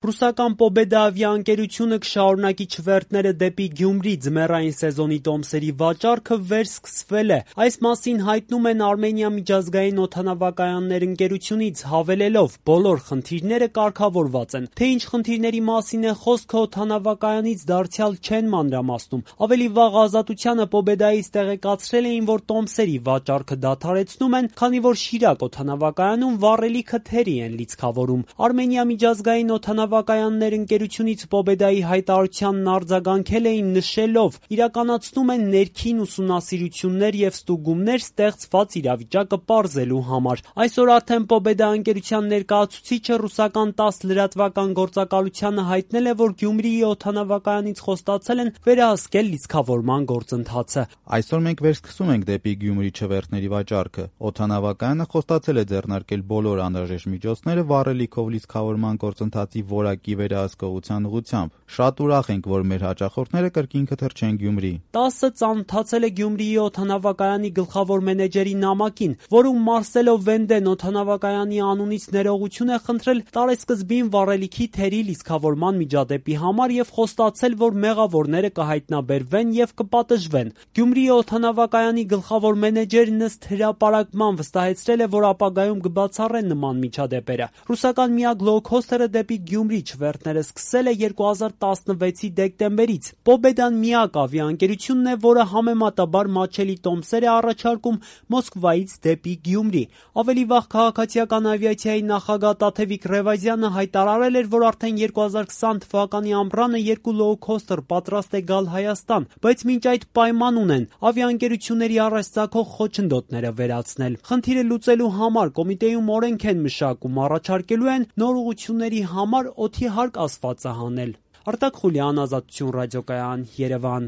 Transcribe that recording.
Ռուսական Pobeda ավիաընկերությունը կշարունակի չվերթները դեպի Գյումրի ձմեռային սեզոնի տոմսերի վաճառքը վերսկսվել է։ Այս մասին հայտնում են Արմենիա միջազգային օդանավակայաններ ընկերությունից, հավելելով՝ բոլոր խնդիրները կարգավորված են։ Թե ինչ խնդիրների մասին է խոսքը օդանավակայանից դարձյալ չեն մանրամասնում։ Ավելի վաղ Ազատությանը Pobeda-ից տեղեկացրել էին, որ տոմսերի վաճառքը դադարեցնում են, քանի որ Շիրակ օդանավակայանում վառելիքը թերի են լիցքավորում։ Արմենիա միջազգային օդանավակայաններ ընկերությունից Pobeda-ի հայտարարությանն արձագանքել էին նշելով՝ իրականացնում են ներքին ուսումնասիրություններ և ստուգումներ ստեղծված իրավիճակը պարզելու համար։ Այսօր արդեն Pobeda ընկերության ներկայացուցիչը ռուսական ՏԱՍՍ լրատվական գործակալությանը հայտնել է, որ Գյումրիի օդանավակայանից խոստացել են վերահսկել լիցքավորման գործընթացը։ Այսօր մենք վերսկսում ենք դեպի Գյումրի չվերթների վաճառքը։ Օդանավակայանը խոստացել է ձեռնարկել բոլոր անհրաժեշտ միջոցները վառելիքով լիցքավորման գործընթացի որակի վերահսկողության ուղղությամբ։ Շատ ուրախ ենք, որ մեր հաճախորդները կրկին կթռչեն Գյումրի։ ՏԱՍՍ-ը ծանոթացել է Գյումրիի օդանավակայանի գլխավոր մենեջերի նամակին, որում Մարսելո Վենդեն օդանավակայանի անունից ներողություն է խնդրել տարեսկզբին վառելիքի թերի լիցքավորման միջադեպի համար և խոստացել, որ մեղավորները կհայտնաբերվեն և կպատժվեն։ Գյումրիի օդանավակայանի գլխավոր մենեջերն ըստ հրապարակման վստահեցրել է, որ ապագայում կբացառեն նման միջադեպերը։ Ռուսական միակ լոու-քոստերը դեպի Գյումրի չվերթները սկսել է 2016-ի դեկտեմբերից։ Pobeda-ն միակ ավիաընկերությունն է, որը համեմատաբար մատչելի տոմսեր է առաջարկում Մոսկվայից դեպի Գյումրի։ Ավելի վաղ քաղաքացիական ավիացիայի նախագահ Տաթևիկ Ռևազյանը հայտարարել էր, որ արդեն 2020 թվականի ամռանը երկու լոու-քոստեր պատրաստ է գալ Հայաստան, բայց մինչ այդ պայման ունեն ավիաընկերությունների առաջ ծագող խոչընդոտները վերացնել։ Խնդիրը լուծելու համար կոմիտեում օրենք են մշակում, առաջարկելու են նոր ուղղությունների համար օդի հարկ ասվածը հանել։ Արտակ Խուլյան, Ազատություն ռադիոկայան, Երևան։